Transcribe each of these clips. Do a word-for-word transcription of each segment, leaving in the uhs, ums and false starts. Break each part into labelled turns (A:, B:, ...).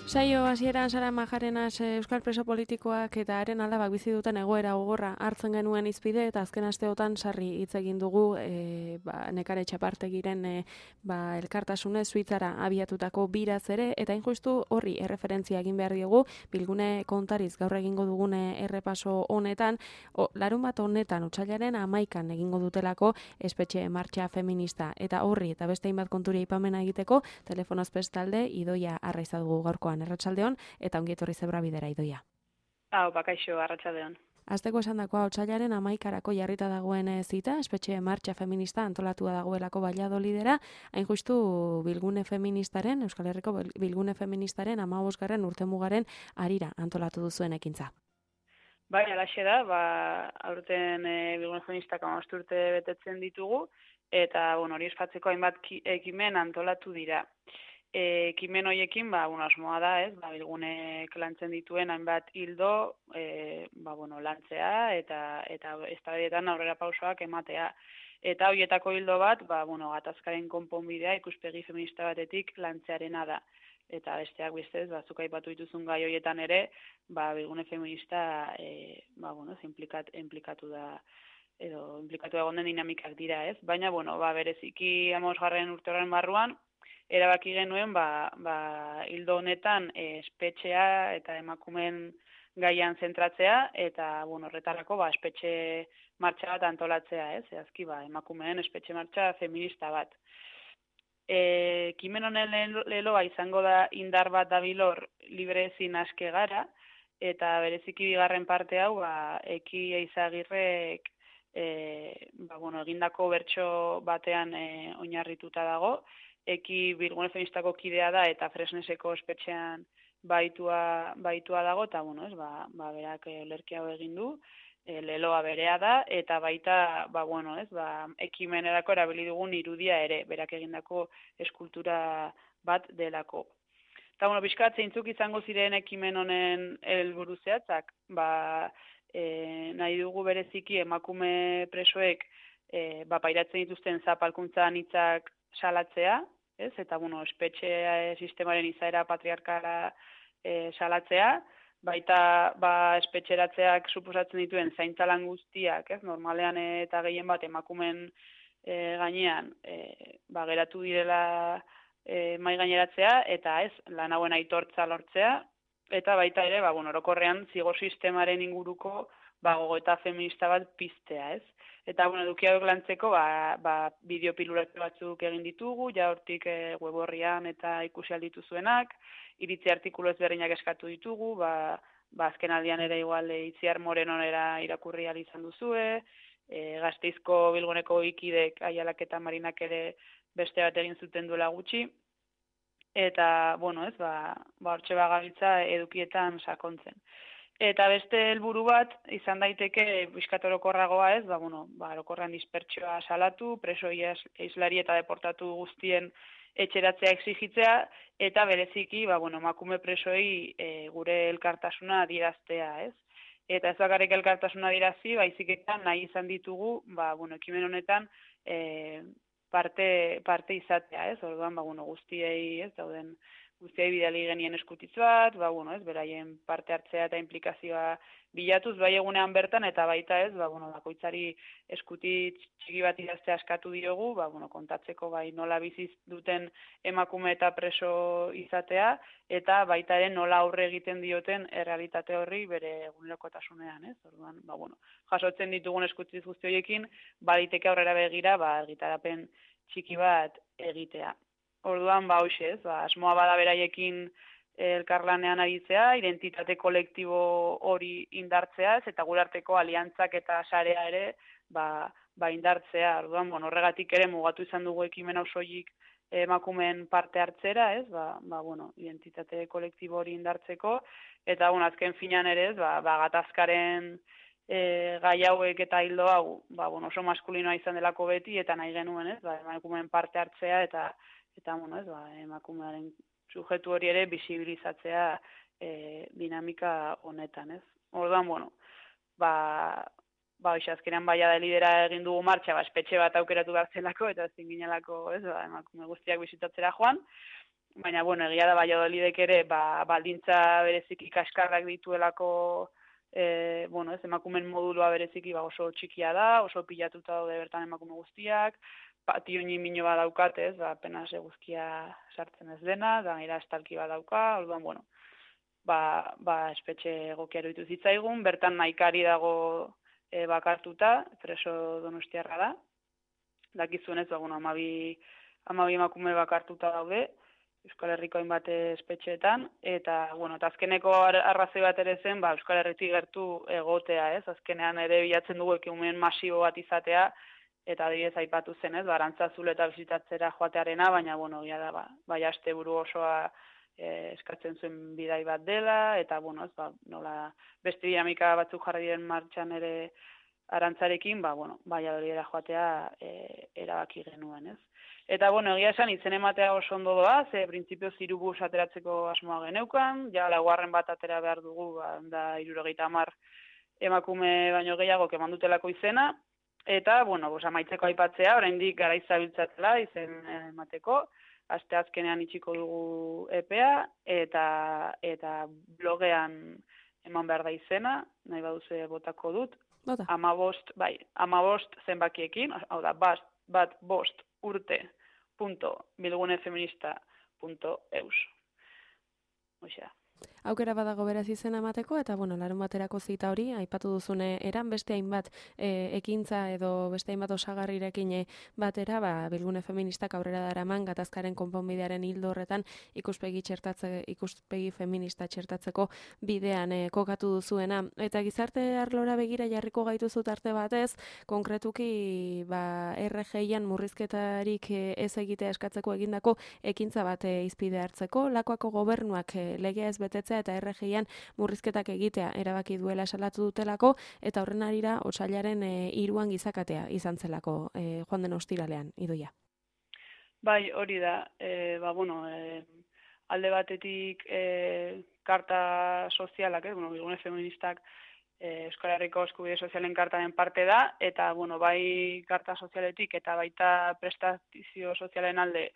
A: Saio hasieran Sara Majarenas euskal preso politikoak eta haren alabak bizi duten egoera gogorra hartzen genuen hizpide eta azken asteotan sarri hitz egin dugu e, ba, Nekare Txapartegiren e, ba, elkartasunez Suitzara abiatutako biraz ere eta injustu horri erreferentzia egin behar diogu Bilgune Kontariz gaur egingo dugune errepaso honetan o, larun bat honetan otsailaren hamaikan egingo dutelako espetxe martxa feminista eta horri eta beste hainbat konturi aipamena egiteko telefonoz bestalde Idoia Arraiza dugu gaurkoan. Arratsaldeon eta ongi etorri Zebra Bidera Idoia.
B: Hau, bakaixo, arratsaldeon.
A: Azteko esandakoa otsailaren hamaikarako jarrita dagoen zita, espetxe martxa feminista antolatua dagoelako Valladolidera, hain justu Bilgune Feministaren, Euskal Herriko Bilgune Feministaren hamabosgarren urtemugaren harira antolatu duzuen ekintza.
B: Bai, alaxe da, ba, aurten e, Bilgune Feministak hamabost urte betetzen ditugu, eta bueno, hori ospatzeko hainbat ekimen antolatu dira. E, ekimen horiekin, ba, bueno, asmoa da, ez, ba, Bilgunek lantzen dituen hainbat hildo, e, ba, bueno, lantzea eta eta eztabaidetan aurrera pausoak ematea. Eta horietako hildo bat, ba, bueno, gatazkaren konponbidea ikuspegi feminista batetik lantzearena da. Eta besteak bestez, ba, zuk aipatu dituzun gai horietan ere, ba, Bilgune feminista, e, ba, bueno, implikat, implikatu da edo implikatu egon den dinamikak dira, ez? Baina, bueno, ba, bereziki hamabosgarren urte horren barruan, erabaki genuen, ba, ba, hildo honetan e, espetxea eta emakumeen gaian zentratzea, eta, bueno, horretarako, ba, espetxe martxa bat antolatzea, ez? Eazki, ba, emakumeen espetxe martxa feminista bat. E, kimen honen leloa izango da indar bat dabilor libre ezin aske gara, eta bereziki bigarren parte hau, ba, Eki Eizagirrek e, ba, bueno, egindako bertso batean e, oinarrituta dago, Eki Bilgune Feministako kidea da eta Fresneseko espetxean baitua, baitua dago, eta bueno, ez, ba, ba, berak olerki hau egin du, e, leloa berea da, eta baita, ba, bueno, ez, ba, ekimenerako erabili dugun irudia ere, berak egindako eskultura bat delako. Eta, bueno, pixkat zeintzuk izango ziren ekimen honen helburu zehatzak, ba, e, nahi dugu bereziki emakume presoek e, ba, pairatzen dituzten zapalkuntza anitzak salatzea, ez? Eta, bueno, espetxe sistemaren izaera patriarkala e, salatzea, baita ba, espetxeratzeak suposatzen dituen zaintzalan guztiak, ez? Normalean eta gehien bat emakumen e, gainean e, ba, geratu direla e, mai gaineratzea, eta ez, lan hauen aitortza lortzea, eta baita ere, ba, bueno, orokorrean zigor sistemaren inguruko ba, gogoeta feminista bat piztea, ez? Eta, bueno, edukiak lantzeko, ba, ba, bideopiluratu batzuk egin ditugu, ja hortik e, web horrian eta ikusi alditu zuenak, iritzi artikulu ezberdinak eskatu ditugu, ba, ba azken aldian ere igual e, Itziar Morenonera irakurri ahal izan duzue, e, Gasteizko Bilguneko ikidek Aialak eta Marinak ere beste bat egin zuten duela gutxi, eta, bueno, ez, ba, ba hortxe bagabiltza edukietan sakontzen. Eta beste helburu bat izan daiteke bizkat orokorragoa, ez, ba bueno, ba orokorrean dispertsioa salatu, preso islari eta deportatu guztien etxeratzea exigitzea eta bereziki, ba bueno, emakume presoei e, gure elkartasuna adieraztea, ez? Eta ez bakarrik elkartasuna adierazi, baizik eta nahi izan ditugu, ba bueno, ekimen honetan e, parte parte izatea, ez? Orduan, ba bueno, guztiei, ez, dauden guztiai bidali genien eskutitz bat, ba, bueno, ez, beraien parte hartzea eta implikazioa bilatuz, bai egunean bertan, eta baita ez, ba, bueno, bakoitzari eskutitz txiki bat idaztea eskatu diogu, ba, bueno, kontatzeko bai nola biziz duten emakume eta preso izatea, eta baita ere nola aurre egiten dioten errealitate horri bere egunerokotasunean, ez, orduan, ba, bueno, jasotzen ditugun eskutitz guzti horiekin, baliteke aurrera begira, ba, argitarapen txiki bat egitea. Orduan, ba, hoxe ez, ba, asmoa bada beraiekin elkarlanean aritzea, identitate kolektibo hori indartzea, eta gure arteko aliantzak eta sarea ere, ba, ba indartzea. Orduan, bon, horregatik ere mugatu izan dugu ekimen osoik emakumeen parte hartzera, ez, ba, ba, bueno, identitate kolektibo hori indartzeko, eta, bueno, azken finan ere, ez, ba, ba gatazkaren e, gai hauek eta hildo hau, ba, bueno, oso maskulinoa izan delako beti, eta nahi genuen, ez, ba, emakumeen parte hartzea, eta eta bueno, ez, ba, emakumearen sujetu hori ere bisibilizatzea e, dinamika honetan, ez? Orduan, bueno, ba, ba, hoxe, azkenean baia da lidera egin dugu martxa, ba, espetxe bat aukeratu behar zelako, eta ezin ginelako, ez, ba, emakume guztiak bisitatzera joan, baina, bueno, egia da Valladolidek ere, ba, baldintza bereziki kaskarrak dituelako, e, bueno, ez, emakumen modulua bereziki ba, oso txikia da, oso pilatuta daude bertan emakume guztiak, patio mino bat daukat, ez, ba, apenas eguzkia sartzen ez dena, da gainera estalki bat dauka, orduan, bueno, ba, ba espetxe egokia iruditu zitzaigun, bertan naikari dago e, bakartuta, preso donostiarra da, dakizuenez, ba, bueno, amabi, amabi emakume bakartuta daude, Euskal Herriko hainbat espetxeetan, eta, bueno, eta azkeneko arrazoi bat ere zen, ba, Euskal Herritik gertu egotea, ez? Azkenean ere bilatzen dugu ekimen masibo bat izatea, eta adibidez aipatu zen, ez? Ba, Arantzazul eta bisitatzera joatearena, baina, bueno, ja da, ba, bai asteburu osoa e, eskatzen zuen bidai bat dela, eta, bueno, ez, ba, nola, beste dinamika batzuk jarri diren martxan ere Arantzarekin, ba, bueno, Valladolidera joatea e, erabaki genuen, ez? Eta, bueno, egia esan, izen ematea oso ondo doa, ze printzipioz hirubus ateratzeko asmoa geneukan, ja laugarren bat atera behar dugu, ba, da hirurogeita hamar emakume baino gehiago keman dutelako izena, eta, bueno, bos, amaitzeko aipatzea, oraindik garaiz zabiltzatzela izen emateko, aste azkenean itxiko dugu epea, eta, eta blogean eman behar da izena, nahi baduze botako dut,
A: Bota.
B: amabost, bai, amabost zenbakiekin, hau da, bat, bat bost urte punto bilgunefeminista punto eus. Oixea.
A: Aukera badago beraz izena emateko, eta bueno, larun baterako zita hori, aipatu duzune eran beste hainbat e, ekintza edo beste hainbat osagarrirekin batera, ba, Bilgune Feministak aurrera daraman gatazkaren konponbidearen hildo horretan ikuspegi txertatze, ikuspegi feminista txertatzeko bidean e, kokatu duzuena. Eta gizarte arlora begira jarriko gaituzu tarte batez, konkretuki ba, R G-an murrizketarik e, ez egitea eskatzeko egindako ekintza bat e, izpide hartzeko, lakoako gobernuak e, legea ez betetzea eta R G-an murrizketak egitea erabaki duela salatu dutelako, eta horren arira otsailaren e, hiruan gizakatea izan zelako e, joan den ostiralean, Idoia.
B: Bai, hori da, e, ba, bueno, e, alde batetik e, karta sozialak, eh? bueno, Bilgune Feministak e, Euskal Herriko eskubide sozialen kartaren parte da, eta, bueno, bai karta sozialetik eta baita prestazio sozialen alde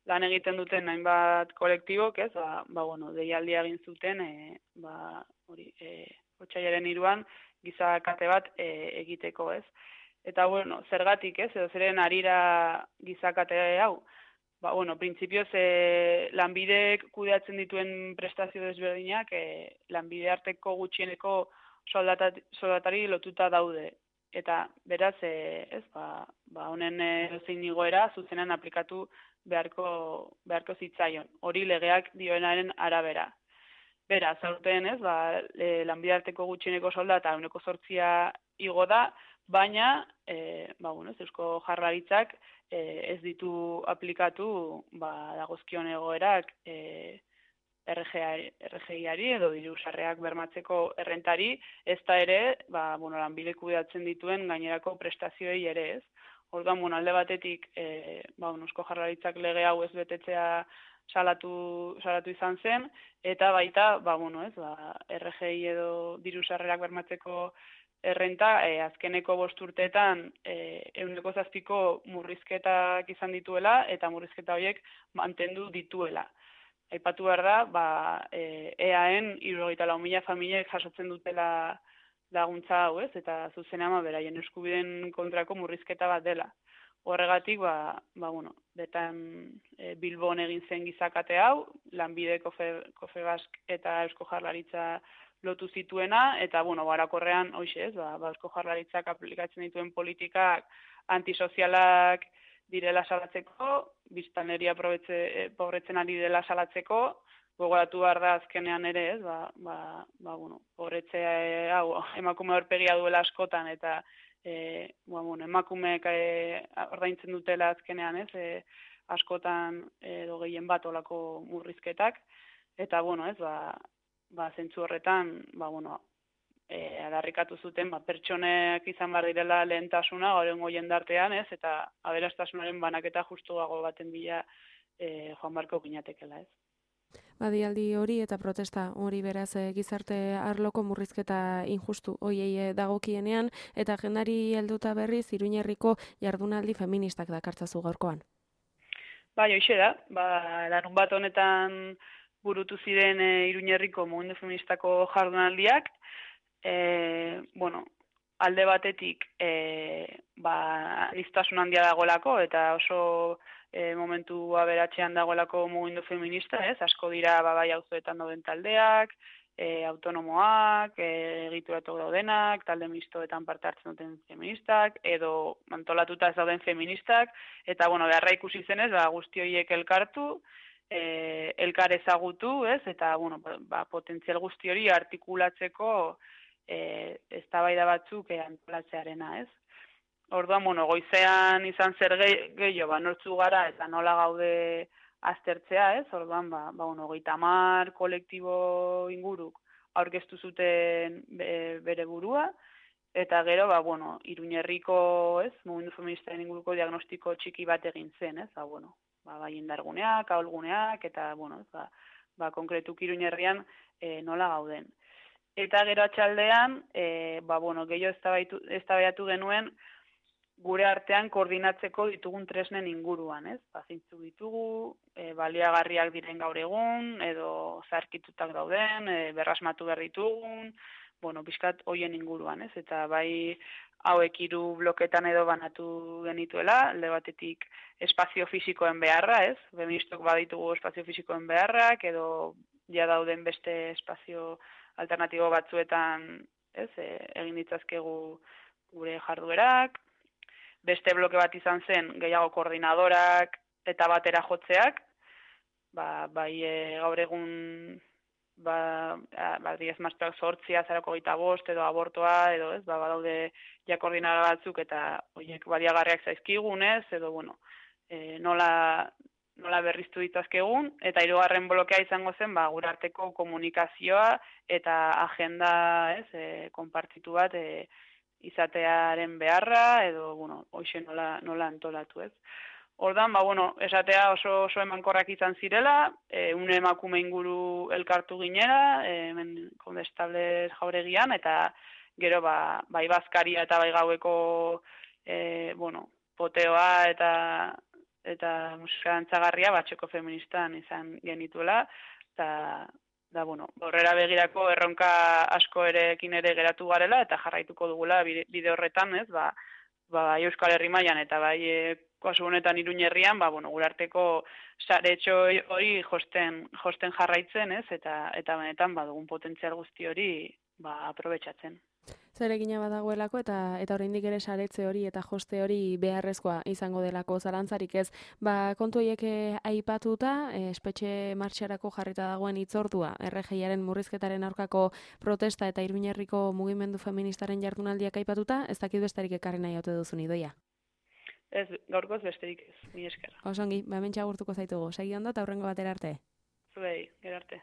B: lan egiten duten hainbat kolektibok, ez, ba, ba bueno, deialdia egin zuten, e, ba, hori, e, otsailaren hiruan gizakate bat e, egiteko, ez. Eta, bueno, zergatik, ez, edo zeren arira gizakate hau, ba, bueno, printzipioz e, lanbidek kudeatzen dituen prestazio desberdinak, e, lanbide arteko gutxieneko soldatari lotuta daude. Eta, beraz, e, ez, ba, ba honen e, zein igoera zuzenan aplikatu beharko, beharko zitzaion. Hori legeak dioenaren arabera. Beraz, aurten ez, ba, e, lanbide arteko gutxieneko soldata ehuneko zortzia igo da, baina, e, ba, bueno, ez, Eusko Jaurlaritzak e, ez ditu aplikatu ba, dagozkion egoerak e, R G-ari edo diru sarrerak bermatzeko errentari, ez da ere, ba, bueno, lanbide kudeatzen dituen gainerako prestazioei ere ez. Orduan, bueno, alde batetik, e, ba, Eusko Jaurlaritzak lege hau ez betetzea salatu, salatu izan zen, eta baita, ba, bueno, ez, ba, R G edo diru sarrerak bermatzeko errenta, e, azkeneko bost urteetan e, ehuneko zazpiko murrizketak izan dituela, eta murrizketa horiek mantendu dituela. Aipatu behar da, ba, e, eaen hirurogeita lau mila familiek jasotzen dutela laguntza hau, ez, eta zuzenean beraien eskubideen kontrako murrizketa bat dela. Horregatik, ba, ba bueno, betan e, Bilbon egin zen gizakate hau, lanbide Kofebask eta Eusko Jaurlaritza lotu zituena, eta, bueno, barakorrean, hoxe ez, ba, ba, Eusko Jaurlaritzak aplikatzen dituen politikak antisozialak direla salatzeko, biztanleria pobretzen ari dela salatzeko, gogoratu behar da azkenean ere, ez, ba, ba, ba bueno, pobretzea hau emakume aurpegia duela askotan, eta e, ba, bueno, emakumeek e, ordaintzen dutela azkenean, ez, e, askotan edo gehien bat olako murrizketak, eta, bueno, ez, ba, ba, zentzu horretan, ba, bueno, E, adarrikatu zuten, ba, pertsonek izan behar direla lehentasuna gaurrengo jendartean, ez, eta aberastasunaren banaketa justuago baten bila e, joan barko ginatekela, ez.
A: Badialdi hori eta protesta hori beraz gizarte arloko murrizketa injustu hoiei dagokienean, eta agendari helduta berriz Iruñerriko jardunaldi feministak dakartzazu gaurkoan.
B: Bai, hoxe da, ba, larun bat honetan burutu ziren e, Iruñerriko mugimendu feministako jardunaldiak, e, bueno, alde batetik e, ba, aniztasun handia dagoelako eta oso e, momentu aberatzean dagoelako mugimendu feminista, ez? Asko dira ba, bai auzoetan dauden taldeak, e, autonomoak, e, egituratu daudenak, talde mistoetan parte hartzen duten feministak, edo antolatuta ez dauden feministak, eta, bueno, beharra ikusi zenez, ba, guzti horiek elkartu, e, elkar ezagutu, ez, eta, bueno, ba, potentzial guzti hori artikulatzeko e, eztabaida batzuk e, antolatzearena, ez. Orduan, bueno, goizean izan zer gehiago, ba, nortzu gara eta nola gaude aztertzea, ez? Orduan, ba, ba bueno, hogeita hamar kolektibo inguruk aurkeztu zuten bere burua, eta gero, ba, bueno, Iruñerriko, ez, mugimendu feministaren inguruko diagnostiko txiki bat egin zen, ez? Ba, bueno, ba, bai indarguneak, ahulguneak, eta, bueno, ez, ba, ba, konkretuk Iruñerrian e, nola gauden. Eta gero atxaldean, e, ba, bueno, gehiago eztabaiatu genuen, gure artean koordinatzeko ditugun tresnen inguruan, ez? Ba, zeintzuk ditugu, e, baliagarriak diren gaur egun, edo zaharkitutak dauden, e, berrasmatu behar ditugun, bueno, pixkat hoien inguruan, ez? Eta bai hauek hiru bloketan edo banatu genituela, alde batetik espazio fisikoen beharra, ez? Feministok baditugu espazio fisikoen beharrak, edo ja dauden beste espazio alternatibo batzuetan, ez? E, egin ditzazkegu gure jarduerak. Beste bloke bat izan zen gehiago koordinadorak eta batera jotzeak, ba, bai e, gaur egun ba, ba diez martxoak zortzia, zarako gita bost, edo abortoa, edo ez, ba, badaude ja koordinadora batzuk eta horiek baliagarriak zaizkigunez, edo bueno, e, nola, nola berriztu ditazkegun, eta hirugarren blokea izango zen, ba, gure arteko komunikazioa eta agenda, ez, e, konpartitu bat, e, izatearen beharra, edo, bueno, hoxe nola, nola antolatu, ez. Ordan, ba, bueno, esatea oso, oso emankorrak izan zirela, e, une emakume inguru elkartu ginera, e, hemen Kondestables jauregian, eta gero, ba, bai bazkaria eta bai gaueko, e, bueno, poteoa eta eta musika dantzagarria batxoko feministan izan genituela, eta da, bueno, horrera begirako erronka asko erekin ere geratu garela eta jarraituko dugula bide horretan, ez, ba, ba Euskal Herri mailan eta bai e, kasu honetan Iruñerrian, ba, bueno, gure arteko saretxo hori josten, josten jarraitzen, ez, eta eta benetan badugun potentzial guzti hori ba aprobetxatzen.
A: Zeregina badagoelako eta eta oraindik ere saretze hori eta joste hori beharrezkoa izango delako zalantzarik ez. Ba, kontu horiek aipatuta, espetxe martxarako jarrita dagoen hitzordua, R G Iaren murrizketaren aurkako protesta eta Iruñerriko mugimendu feministaren jardunaldiak aipatuta, ez dakit besterik ekarri nahi ote duzun Idoia.
B: Ez, gaurkoz besterik ez, ni esker.
A: Osongi, ba hementxe agurtuko zaitugu. Segi ondo eta hurrengo batera arte.
B: Zuei, gero arte.